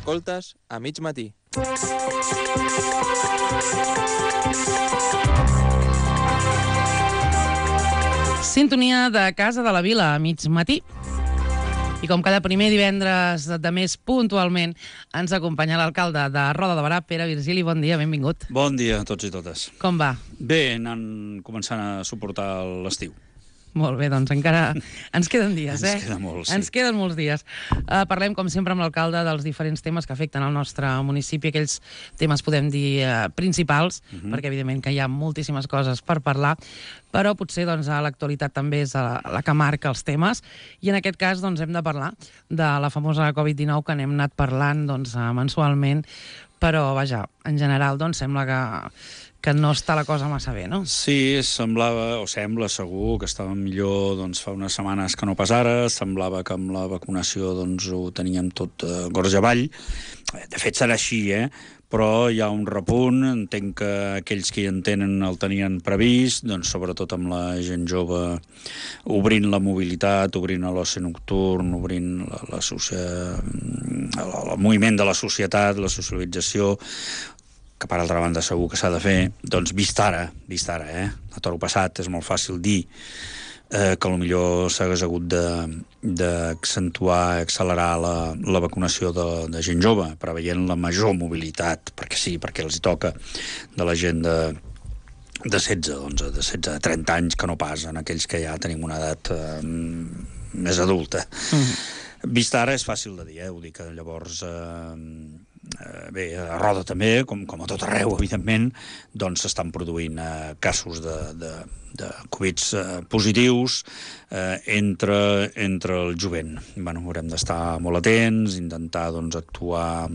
Escoltes a mig matí. Sintonia de Casa de la Vila a mig matí. I com cada primer divendres de mes puntualment ens acompanya l'alcalde de Roda de Berà, Pere Virgili. Bon dia, benvingut. Bon dia a tots i totes. Com va? Bé, anant començant a suportar l'estiu. Molt bé, doncs encara ens queden dies, Ens queda molt, sí. Ens queden molts dies. Parlem, com sempre, amb l'alcalde dels diferents temes que afecten el nostre municipi, aquells temes, podem dir, principals, perquè evidentment que hi ha moltíssimes coses per parlar, però potser doncs, l'actualitat també és la que marca els temes, i en aquest cas doncs, hem de parlar de la famosa Covid-19 que n'hem anat parlant doncs, mensualment, però vaja, en general doncs, sembla que no està la cosa massa bé, no? Sí, semblava, o sembla segur, que estava millor doncs, fa unes setmanes que no pas ara. Semblava que amb la vacunació doncs, ho teníem tot gorge avall. De fet, serà així, però hi ha un repunt. Entenc que aquells que hi entenen el tenien previst, doncs, sobretot amb la gent jove, obrint la mobilitat, obrint l'oci nocturn, obrint el moviment de la societat, la socialització, que per altra banda segur que s'ha de fer, doncs vist ara, a toro passat és molt fàcil dir que potser s'hagués hagut d'accentuar, accelerar la vacunació de gent jove, preveient la major mobilitat, perquè sí, perquè els hi toca, de la gent de 16, doncs, de 16 a 30 anys, que no pas en aquells que ja tenim una edat més adulta. Vist ara és fàcil de dir, ho dic, llavors... Bé, a Roda també, com a tot arreu, evidentment, doncs s'estan produint casos de Covid positius entre el jovent. Bueno, haurem d'estar molt atents, intentar doncs, actuar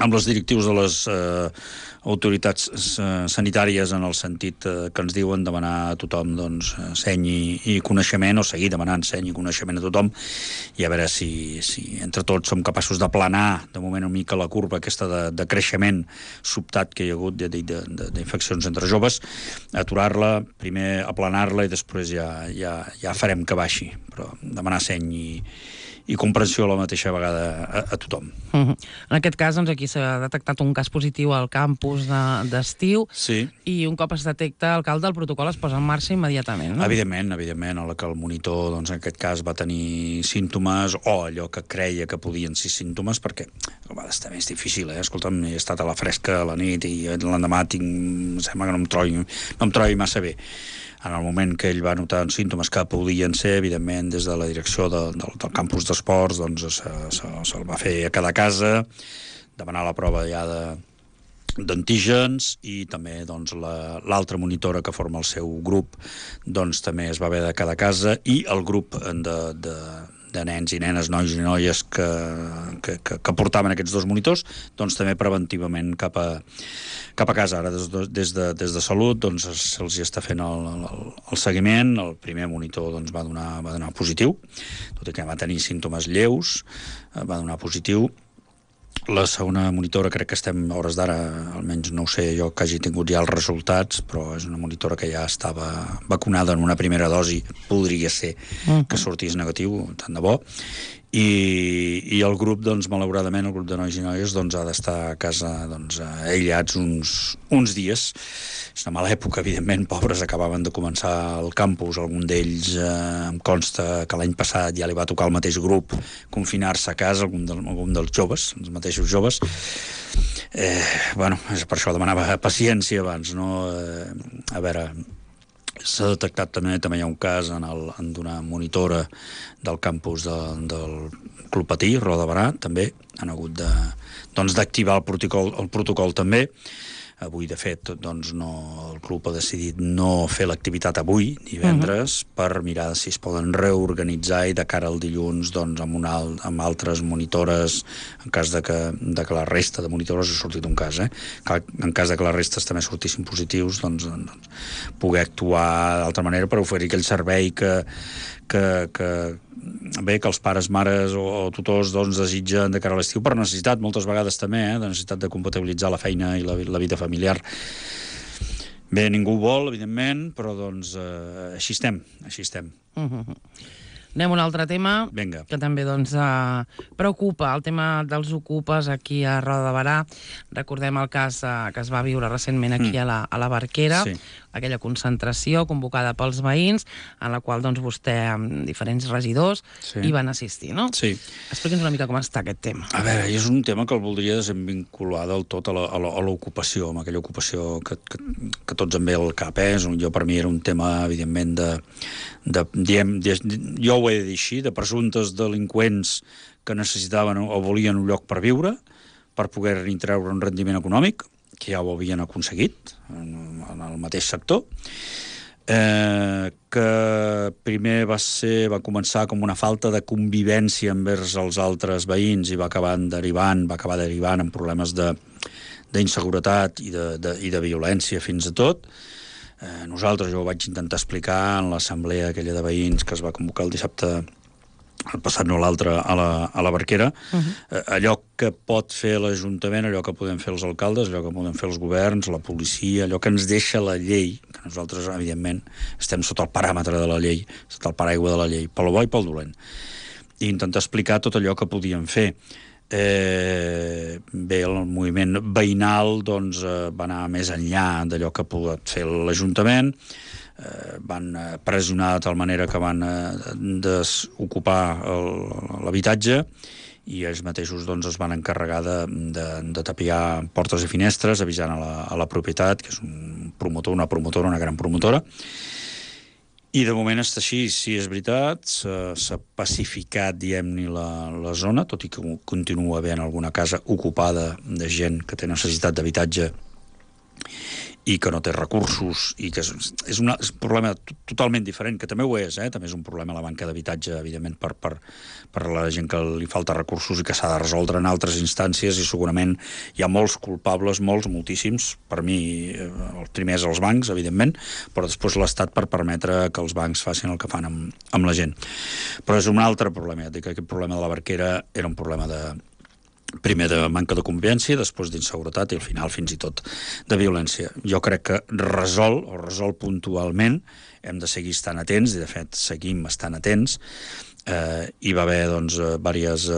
amb les directius de les autoritats sanitàries en el sentit que ens diuen demanar a tothom doncs, seny i coneixement, o seguir demanant seny i coneixement a tothom, i a veure si entre tots som capaços d'aplanar de moment una mica la curva aquesta de creixement sobtat que hi ha hagut d'infeccions entre joves, aturar-la, primer aplanar-la i després ja farem que baixi, però demanar seny i comprensió a la mateixa vegada a tothom. En aquest cas, doncs, aquí s'ha detectat un cas positiu al campus d'estiu, sí. I un cop es detecta, alcalde, el protocol es posa en marxa immediatament, no? Evidentment, a la que el monitor, doncs, en aquest cas, va tenir símptomes, o allò que creia que podien ser símptomes, perquè a vegades també és difícil, Escolta'm, he estat a la fresca a la nit i l'endemà sembla que no em trobi massa bé. En el moment que ell va notar símptomes que podien ser, evidentment, des de la direcció del campus d'esports, doncs se'l va fer a cada casa, demanar la prova ja d'antígens, i també doncs, l'altra monitora que forma el seu grup doncs, també es va haver de cada casa, i el grup de nens i nenes, nois i noies que portaven aquests dos monitors, doncs també preventivament cap a casa. Ara des de Salut doncs se'ls està fent el seguiment. El primer monitor doncs, va donar positiu, tot i que va tenir símptomes lleus, va donar positiu. La segona monitora, crec que estem a hores d'ara, almenys no ho sé jo que hagi tingut ja els resultats, però és una monitora que ja estava vacunada en una primera dosi, podria ser que sortís negatiu, tant de bo. I el grup, doncs, malauradament, el grup de nois i noies doncs, ha d'estar a casa doncs, aïllats uns dies. És una mala època, evidentment, pobres, acabaven de començar el campus, algun d'ells em consta que l'any passat ja li va tocar al mateix grup confinar-se a casa, algun dels joves, els mateixos joves. És per això demanava paciència abans, no? A veure... S'ha detectat també hi ha un cas en d'una monitora del campus del Club Patí, Roda de Berà, també han hagut d'activar el protocol també. Avui, de fet, doncs, el club ha decidit no fer l'activitat avui, divendres, per mirar si es poden reorganitzar i de cara al dilluns doncs, amb altres monitores, en cas de que la resta de monitores ha sortit un cas. En cas de que les restes també sortissin positius, doncs poder actuar d'altra manera per oferir aquell servei que els pares, mares o tutors doncs, desitgen de cara a l'estiu per necessitat, moltes vegades també, de necessitat de compatibilitzar la feina i la vida familiar. Bé, ningú vol, evidentment, però doncs així estem. Anem a un altre tema. Vinga. Que també doncs, preocupa, el tema dels ocupes aquí a Roda de Berà. Recordem el cas que es va viure recentment aquí a la Barquera, Sí. aquella concentració convocada pels veïns, en la qual doncs, vostè amb diferents regidors hi van assistir, no? Sí. Explica'ns una mica com està aquest tema. A veure, és un tema que el voldria desvincular del tot a l'ocupació, amb aquella ocupació que tots em ve al cap. Jo, per mi, era un tema, evidentment, jo ho he de dir així, de presumptes delinqüents que necessitaven o volien un lloc per viure, per poder-hi treure un rendiment econòmic, que ja ho havien aconseguit en el mateix sector, que primer va començar com una falta de convivència envers els altres veïns i va acabar derivant en problemes d'inseguretat i de violència fins a tot. Nosaltres, jo ho vaig intentar explicar en l'assemblea aquella de veïns que es va convocar el dissabte, el passat no l'altre, a la Barquera. Allò que pot fer l'Ajuntament, allò que podem fer els alcaldes, allò que podem fer els governs, la policia, allò que ens deixa la llei, que nosaltres, evidentment, estem sota el paràmetre de la llei, sota el paraigua de la llei, pel bo i pel dolent. I intentar explicar tot allò que podíem fer. Bé, el moviment veïnal doncs, va anar més enllà d'allò que pot fer l'Ajuntament, van pressionar de tal manera que van desocupar l'habitatge i ells mateixos doncs, es van encarregar de tapiar portes i finestres avisant a la propietat, que és una gran promotora. I de moment està així, sí, és veritat, s'ha pacificat, diguem-ne, la zona, tot i que continua havent alguna casa ocupada de gent que té necessitat d'habitatge i que no té recursos, i que és un problema totalment diferent, que també ho és, també és un problema la manca d'habitatge, evidentment, per la gent que li falta recursos i que s'ha de resoldre en altres instàncies, i segurament hi ha molts culpables, moltíssims, per mi, els primers els bancs, evidentment, però després l'Estat per permetre que els bancs facin el que fan amb la gent. Però és un altre problema, que aquest problema de la Barquera era un problema primer de manca de convivència, després d'inseguretat i al final fins i tot de violència. Jo crec que resol puntualment, hem de seguir estant atents, i de fet seguim estant atents. Hi va haver doncs diverses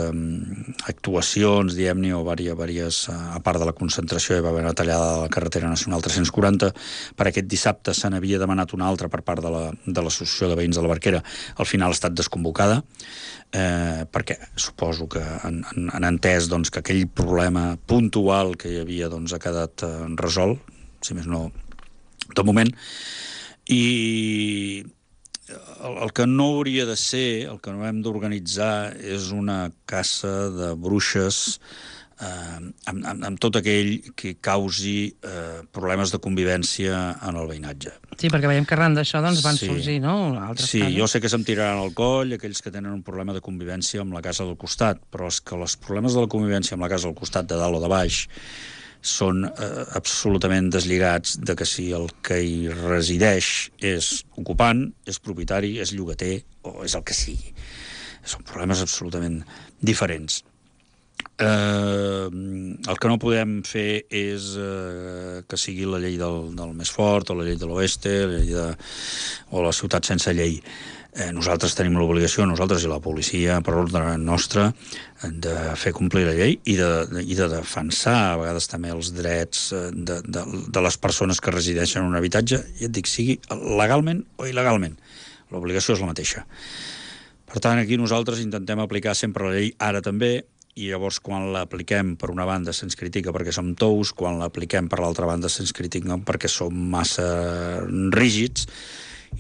actuacions, diguem-ne, o diverses, a part de la concentració, hi va haver una tallada de la carretera nacional 340. Per aquest dissabte se n'havia demanat una altra per part de l'Associació de Veïns de la Barquera. Al final ha estat desconvocada, perquè suposo que han entès doncs, que aquell problema puntual que hi havia doncs, ha quedat resolt, si més no, de moment. I el que no hauria de ser, el que no hem d'organitzar, és una caça de bruixes amb tot aquell que causi problemes de convivència en el veïnatge. Sí, perquè veiem que arran d'això doncs, van sorgir, no? Altres casos. Jo sé que se'm tiraran al coll aquells que tenen un problema de convivència amb la casa del costat, però és que els problemes de la convivència amb la casa del costat, de dalt o de baix, són absolutament deslligats de que si el que hi resideix és ocupant, és propietari, és llogater o és el que sigui. Són problemes absolutament diferents. El que no podem fer és que sigui la llei del més fort, o la llei de l'oeste, o la ciutat sense llei. Nosaltres tenim l'obligació, nosaltres i la policia, per ordre nostre, de fer complir la llei i de defensar a vegades també els drets de les persones que resideixen en un habitatge, i et dic, sigui legalment o il·legalment. L'obligació és la mateixa. Per tant, aquí nosaltres intentem aplicar sempre la llei, ara també, i llavors quan l'apliquem per una banda se'ns critica perquè som tous, quan l'apliquem per l'altra banda se'ns critica perquè som massa rígids.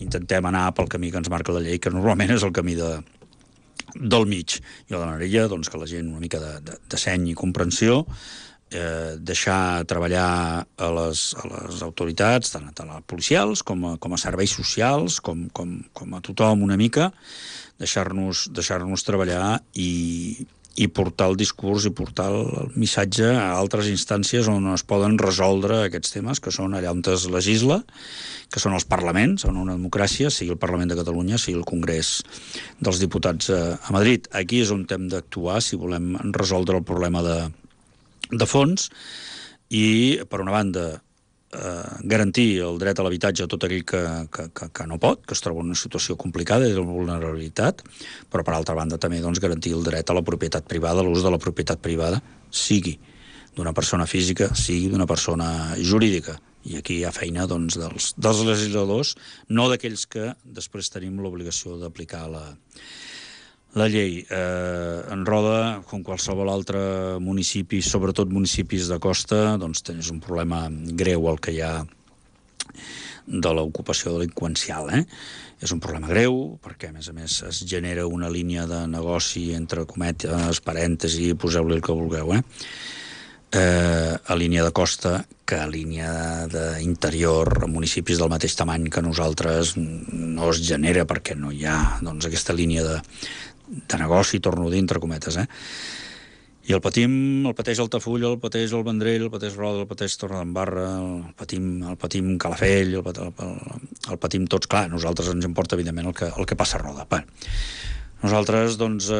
Intentem anar pel camí que ens marca la llei, que normalment és el camí del mig. Jo demanaria doncs, que la gent una mica de seny i comprensió, deixar treballar a les autoritats, tant a policials com a serveis socials, com a tothom una mica, deixar-nos treballar i portar el discurs i portar el missatge a altres instàncies on es poden resoldre aquests temes, que són allà on es legisla, que són els parlaments, en una democràcia, sigui el Parlament de Catalunya, sigui el Congrés dels Diputats a Madrid. Aquí és on hem d'actuar si volem resoldre el problema de fons, i, per una banda, garantir el dret a l'habitatge a tot aquell que no pot, que es troba en una situació complicada i de vulnerabilitat, però per altra banda també doncs, garantir el dret a la propietat privada, l'ús de la propietat privada, sigui d'una persona física, sigui d'una persona jurídica. I aquí hi ha feina doncs, dels legisladors, no d'aquells que després tenim l'obligació d'aplicar la llei. En Roda, com qualsevol altre municipi, sobretot municipis de costa, doncs tens un problema greu el que hi ha de l'ocupació delinqüencial. És un problema greu, perquè a més es genera una línia de negoci entre cometes, parèntesi, poseu-li el que vulgueu, a línia de costa que a línia d'interior, municipis del mateix tamany que nosaltres, no es genera perquè no hi ha doncs, aquesta línia de negoci, torno a dir, entre cometes. I el pateix Altafulla, el pateix el Vendrell, el pateix Roda, el pateix Torredembarra, el patim Calafell, el patim tots. Clar, a nosaltres ens importa, evidentment, el que passa a Roda. Nosaltres, doncs,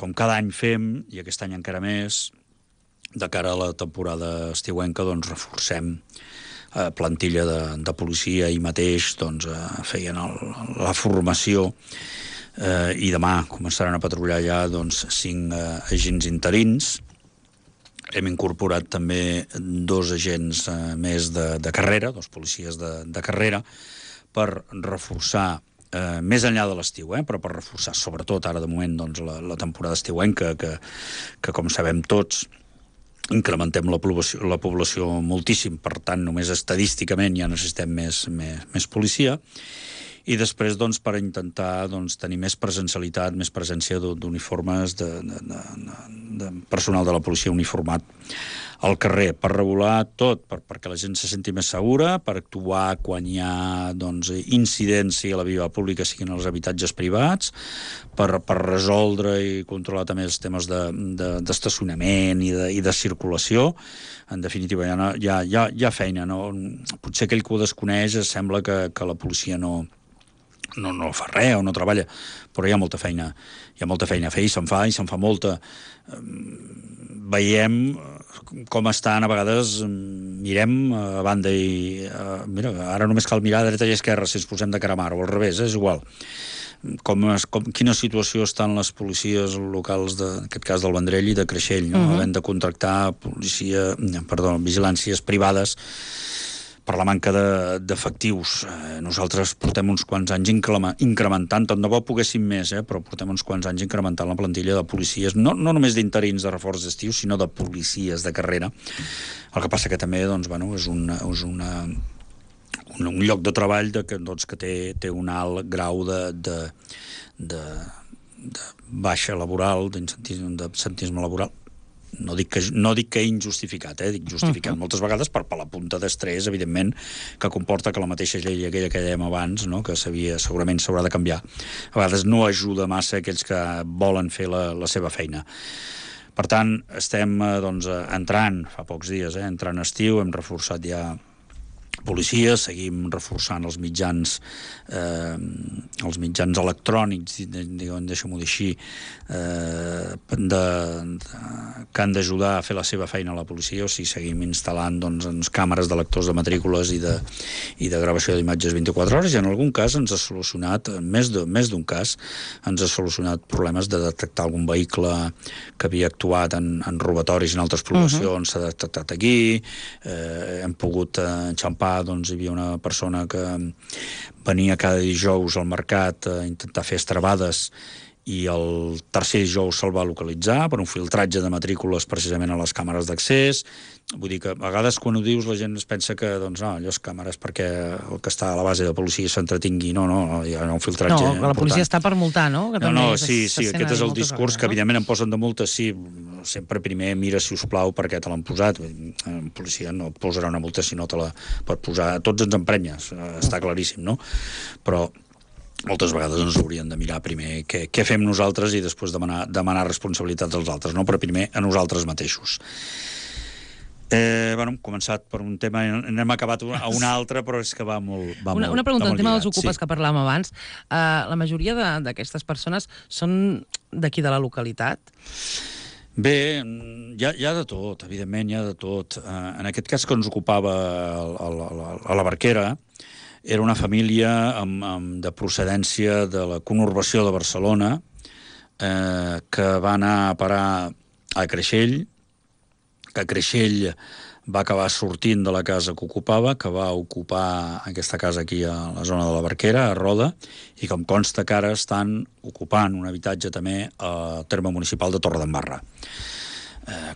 com cada any fem, i aquest any encara més, de cara a la temporada estiuenca, doncs reforcem plantilla de policia. Ahir mateix doncs, feien la formació i demà començaran a patrullar ja doncs, 5 agents interins. Hem incorporat també 2 agents més de carrera, 2 policies de carrera, per reforçar més enllà de l'estiu, però per reforçar sobretot ara de moment doncs, la temporada estiuenca, que com sabem tots incrementem la població moltíssim, per tant només estadísticament ja necessitem més policia. I després, doncs, per intentar doncs, tenir més presencialitat, més presència d'uniformes, de personal de la policia uniformat al carrer, per regular tot, perquè la gent se senti més segura, per actuar quan hi ha doncs, incidència a la via pública, siguin els habitatges privats, per resoldre i controlar també els temes d'estacionament i de circulació. En definitiva, hi ha feina. No? Potser aquell que ho desconeix sembla que la policia no fa res o no treballa, però hi ha molta feina a fer i se'n fa molta. Veiem com estan, a vegades mirem a banda i mira, ara només cal mirar a dreta i a esquerra si ens posem de cara a mar, o al revés, és igual. Quina situació estan les policies locals, en aquest cas del Vendrell i de Creixell, no? Havent de contractar vigilàncies privades per la manca d'efectius. Nosaltres portem uns quants anys incrementant, tant de bo poguéssim més, però portem uns quants anys incrementant la plantilla de policies, no només d'interins de reforç d'estiu, sinó de policies de carrera. El que passa que també doncs, és un lloc de treball que té un alt grau de baixa laboral, d'absentisme laboral. No dic que injustificat, dic justificat moltes vegades per la punta d'estrès, evidentment, que comporta que la mateixa llei aquella que dèiem abans, no? Que segurament s'haurà de canviar. A vegades no ajuda massa aquells que volen fer la seva feina. Per tant, estem entrant, fa pocs dies, entrant estiu, hem reforçat ja policies, seguim reforçant els mitjans electrònics, deixa'm-ho dir així, que han d'ajudar a fer la seva feina a la policia, o sigui, seguim instal·lant càmeres de lectors de matrícules i de gravació d'imatges 24 hores, i en algun cas ens ha solucionat, més d'un cas, ens ha solucionat problemes de detectar algun vehicle que havia actuat en robatoris en altres poblacions, s'ha detectat aquí, hem pogut enxampar, doncs hi havia una persona que venia cada dijous al mercat a intentar fer estrebades i el tercer dijous se'l va localitzar per un filtratge de matrícules precisament a les càmeres d'accés. Vull dir que a vegades quan ho dius la gent es pensa que allò és càmeres perquè el que està a la base de policia s'entretingui. No, hi ha un filtratge important. No, la policia està per multar, no? Sí, aquest és el discurs que evidentment em posen de multa, sí, sempre primer mira, si us plau, per què te l'han posat. La policia no et posarà una multa si no te la pot posar. Tots ens emprenyes, està claríssim, no? Però moltes vegades ens haurien de mirar primer què fem nosaltres i després demanar responsabilitats als altres, no? Però primer a nosaltres mateixos. Hem començat per un tema, n'hem acabat a un altre, però és que va molt Una pregunta, el tema dels ocupes sí. Que parlàvem abans. La majoria d'aquestes persones són d'aquí de la localitat? Bé, hi ha de tot, evidentment, hi ha de tot. En aquest cas que ens ocupava a la Barquera, era una família de procedència de la conurbació de Barcelona, que va anar a parar a Creixell, que Creixell va acabar sortint de la casa que ocupava, que va ocupar aquesta casa aquí a la zona de la Barquera, a Roda, i que em consta que ara estan ocupant un habitatge també al terme municipal de Torredembarra.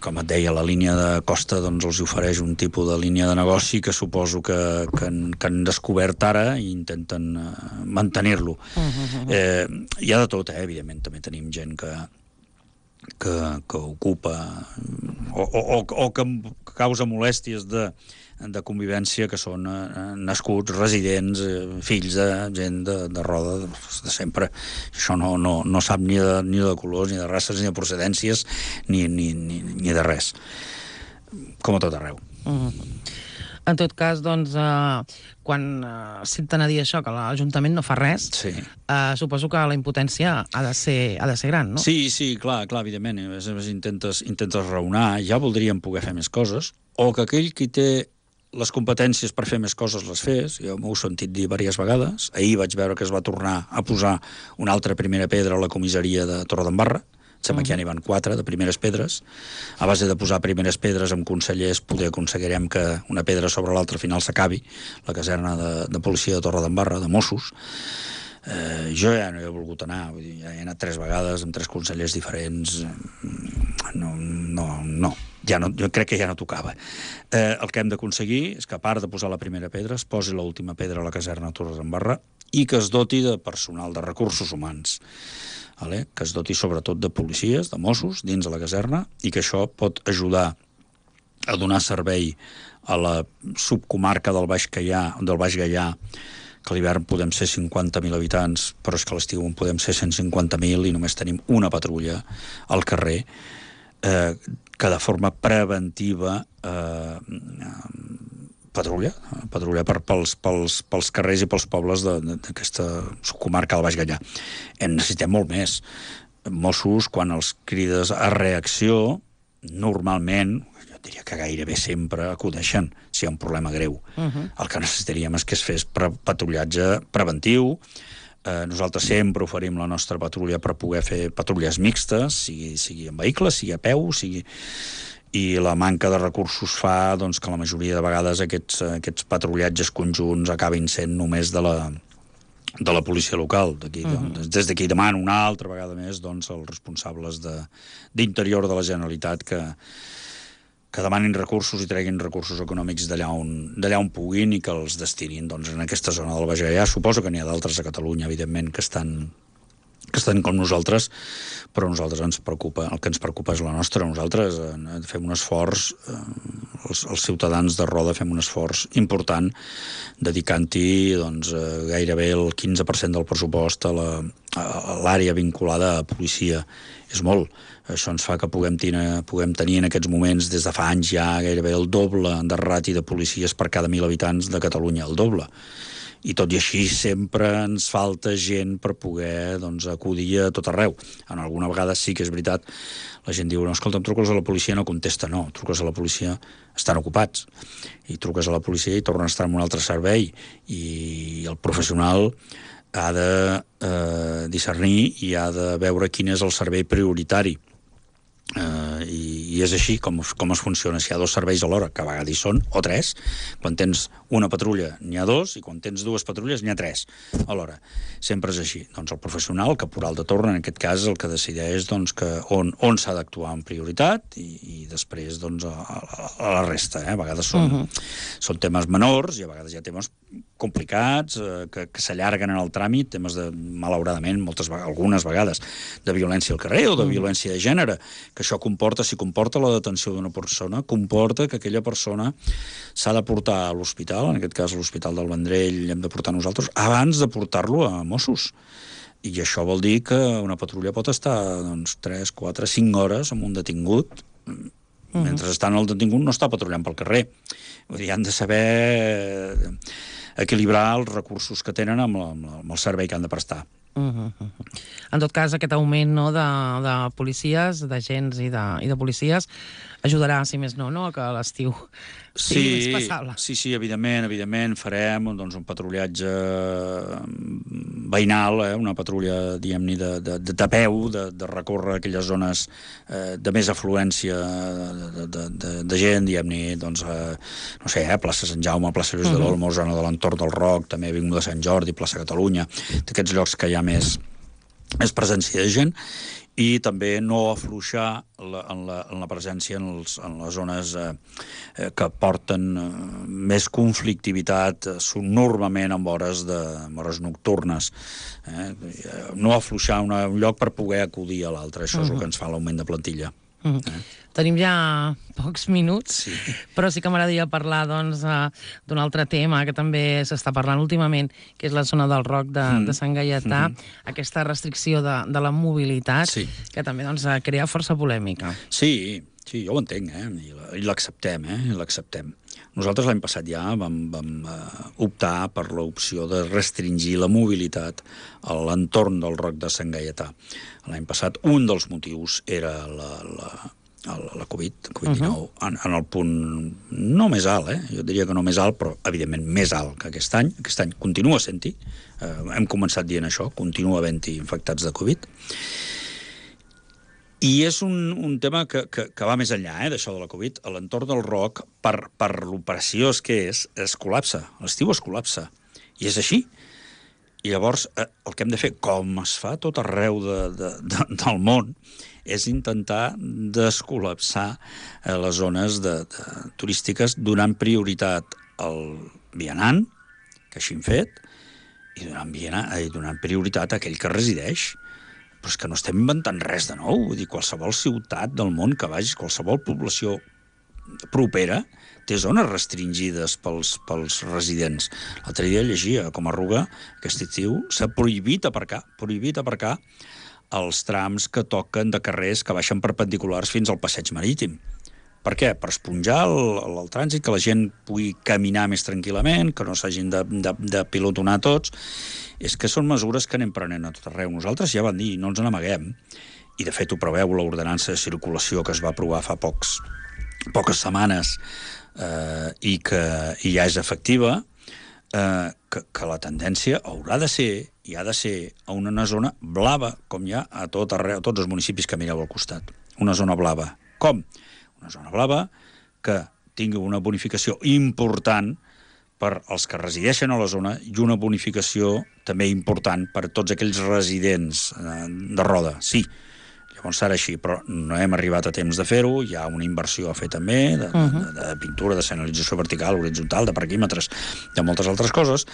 Com et deia, la línia de costa doncs, els ofereix un tipus de línia de negoci que suposo que han descobert ara i intenten mantenir-lo. Hi ha de tot, evidentment, també tenim gent que ocupa o que causa molèsties de convivència, que són nascuts, residents, fills de gent de Roda, de sempre. Això no sap ni de colors, ni de races, ni de procedències, ni de res. Com a tot arreu. En tot cas, doncs, quan senten a dir això, que l'Ajuntament no fa res, sí. Suposo que la impotència ha de ser gran, no? Sí, clar, evidentment. Intentes raonar, ja voldríem poder fer més coses, o que aquell qui té les competències per fer més coses les fes. Jo m'ho he sentit dir diverses vegades. Ahir vaig veure que es va tornar a posar una altra primera pedra a la comissaria de Torredembarra. Sembla que ja n'hi van 4 de primeres pedres. A base de posar primeres pedres amb consellers poder aconseguirem que una pedra sobre l'altra al final s'acabi, la caserna de policia de Torredembarra, de Mossos. Jo ja no he volgut anar, vull dir, ja he anat 3 vegades amb 3 consellers diferents. No. Jo crec que ja no tocava. El que hem d'aconseguir és que, a part de posar la primera pedra, es posi l'última pedra a la caserna de Torredembarra i que es doti de personal, de recursos humans. Que es doti sobretot de policies, de Mossos, dins de la caserna, i que això pot ajudar a donar servei a la subcomarca del Baix Gaià, que a l'hivern podem ser 50.000 habitants, però és que a l'estiu en podem ser 150.000 i només tenim una patrulla al carrer, que de forma preventiva patrulla pels carrers i pels pobles d'aquesta comarca del Baix Gaià. En necessitem molt més. Mossos, quan els crides a reacció, normalment, jo diria que gairebé sempre acudeixen si hi ha un problema greu. El que necessitaríem és que es fes patrullatge preventiu. Nosaltres sempre oferim la nostra patrulla per poder fer patrulles mixtes, sigui en vehicles, sigui a peu, i la manca de recursos fa doncs, que la majoria de vegades aquests patrullatges conjunts acabin sent només de la policia local. Des d'aquí demano una altra vegada més doncs, als responsables d'Interior de la Generalitat que demanin recursos i treguin recursos econòmics d'allà on puguin i que els destinin doncs, en aquesta zona del Baix Gaià. Suposo que n'hi ha d'altres a Catalunya, evidentment, que estan com nosaltres, però a nosaltres el que ens preocupa és la nostra. Nosaltres fem un esforç, els ciutadans de Roda fem un esforç important dedicant-hi doncs, gairebé el 15% del pressupost a l'àrea vinculada a policia. És molt. Això ens fa que puguem tenir en aquests moments, des de fa anys ja, gairebé el doble de ràtio de policies per cada 1.000 habitants de Catalunya, el doble. I tot i així sempre ens falta gent per poder acudir a tot arreu. En alguna vegada sí que és veritat, la gent diu, no, escolta, em truques a la policia, no contesta, no, truques a la policia, estan ocupats, i truques a la policia i tornen a estar en un altre servei, i el professional ha de discernir i ha de veure quin és el servei prioritari. I és així com es funciona. Si hi ha 2 serveis alhora, que a vegades hi són, o 3, quan tens una patrulla n'hi ha 2 i quan tens 2 patrulles n'hi ha 3 alhora. Sempre és així. Doncs el professional, el caporal de torn, en aquest cas, el que decideix que on s'ha d'actuar en prioritat i després a la resta. A vegades són temes menors i a vegades hi ha temes complicats que s'allarguen en el tràmit, temes malauradament, algunes vegades, de violència al carrer o de violència de gènere, que això comporta la detenció d'una persona, comporta que aquella persona s'ha de portar a l'hospital, en aquest cas a l'Hospital del Vendrell hem de portar nosaltres, abans de portar-lo a Mossos. I això vol dir que una patrulla pot estar 3, 4, 5 hores amb un detingut, mentre està en el detingut no està patrullant pel carrer. Vull dir, han de saber equilibrar els recursos que tenen amb el servei que han de prestar. En tot cas, aquest augment de policies, d'agents i de policies, ajudarà, si més no, a que l'estiu sigui més passable. Sí, evidentment, farem un patrullatge veïnal, una patrulla, diguem-ne, de peu, de recórrer aquelles zones de més afluència de gent, diguem-ne, no sé, plaça Sant Jaume, plaça Lluís de l'Olmo, zona de l'entorn del Roc, també Avinguda Sant Jordi, plaça Catalunya, d'aquests llocs que hi ha més presència de gent, i també no afluixar en la presència en les zones que porten més conflictivitat, normalment en hores nocturnes. No afluixar un lloc per poder acudir a l'altre. Això és el que ens fa l'augment de plantilla. Tenim ja pocs minuts, però sí que m'agradaria parlar d'un altre tema que també s'està parlant últimament, que és la zona del Roc de Sant Gaietà, aquesta restricció de la mobilitat, que també crea força polèmica. Sí, jo ho entenc, i l'acceptem, Nosaltres l'any passat ja vam optar per l'opció de restringir la mobilitat a l'entorn del Roc de Sant Gaietà. L'any passat un dels motius era la Covid-19, en el punt no més alt, jo diria que no més alt, però evidentment més alt que aquest any. Aquest any continua sent-hi, hem començat dient això, continua havent-hi infectats de Covid. I és un tema que va més enllà d'això de la Covid. A l'entorn del Roc, per l'operació que es col·lapsa. L'estiu es col·lapsa. I és així. I llavors el que hem de fer, com es fa tot arreu del món, és intentar descol·lapsar les zones turístiques donant prioritat al vianant, que així hem fet, i donant prioritat a aquell que resideix. Però és que no estem inventant res de nou. Vull dir, qualsevol ciutat del món que vagis, qualsevol població propera, té zones restringides pels residents. L'altre dia llegia com a Ruga, aquest estiu, s'ha prohibit aparcar els trams que toquen de carrers que baixen perpendiculars fins al passeig marítim. Per què? Per esponjar el trànsit, que la gent pugui caminar més tranquil·lament, que no s'hagin de pilotonar tots. És que són mesures que anem prenent a tot arreu. Nosaltres ja vam dir, no ens n'amaguem, i de fet ho preveu l'ordenança de circulació que es va aprovar fa poques setmanes i que ja és efectiva, que la tendència haurà de ser, i ha de ser, a una zona blava, com hi ha a tot arreu, a tots els municipis que mireu al costat. Una zona blava. Com? Una zona blava que tingui una bonificació important per als que resideixen a la zona i una bonificació també important per a tots aquells residents de Roda. Sí, llavors serà així, però no hem arribat a temps de fer-ho, hi ha una inversió a fer també, de pintura, de senyalització vertical, horitzontal, de parquímetres, de moltes altres coses,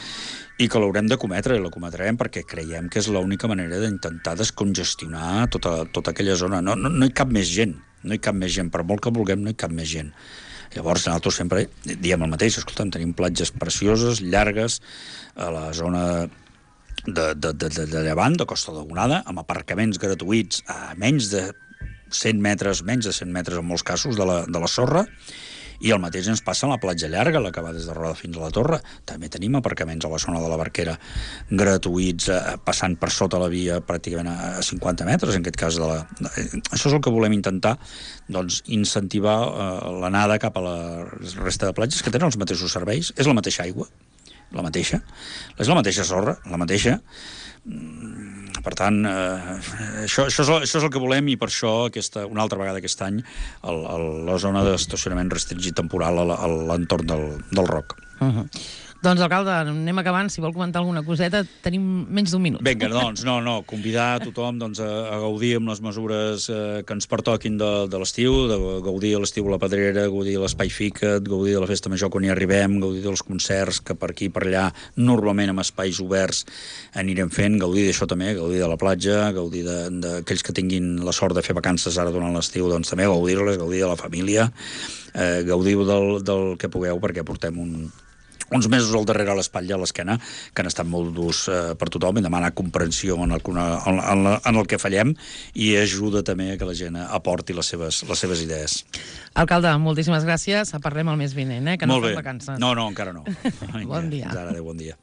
i que l'haurem de cometre, i la cometrem perquè creiem que és l'única manera d'intentar descongestionar tota aquella zona. No hi cap més gent, per molt que vulguem, no hi cap més gent. Llavors, nosaltres sempre diem el mateix, escolta'm, tenim platges precioses, llargues, a la zona de Llevant, de Costa Daurada, amb aparcaments gratuïts a menys de 100 metres en molts casos de la sorra, i el mateix ens passa a la platja llarga, la que va des de Roda fins a la Torre. També tenim aparcaments a la zona de la Barquera gratuïts, passant per sota la via pràcticament a 50 metres, en aquest cas. Això és el que volem intentar, doncs, incentivar l'anada cap a la resta de platges, que tenen els mateixos serveis, és la mateixa aigua, és la mateixa sorra, la mateixa. Per tant, això és el que volem, i per això una altra vegada aquest any la zona d'estacionament restringit temporal a l'entorn del Roc. Doncs, alcalde, anem acabant. Si vol comentar alguna coseta, tenim menys d'un minut. Vinga, doncs, convidar a tothom a gaudir amb les mesures que ens pertoquin de l'estiu, de gaudir a l'estiu a la Pedrera, gaudir de l'Espai Fica't, gaudir de la Festa Major quan hi arribem, gaudir dels concerts que per aquí i per allà, normalment amb espais oberts, anirem fent, gaudir d'això també, gaudir de la platja, gaudir d'aquells que tinguin la sort de fer vacances ara durant l'estiu, doncs també gaudir-les, gaudir de la família, gaudiu del que pugueu, perquè portem uns mesos al darrere a l'espatlla, a l'esquena, que han estat molt durs per tothom, i demanar comprensió en el que fallem, i ajuda també a que la gent aporti les seves idees. Alcalde, moltíssimes gràcies. Parlem el mes vinent, que no fem vacances. No, encara no. Bon dia. Adéu, bon dia.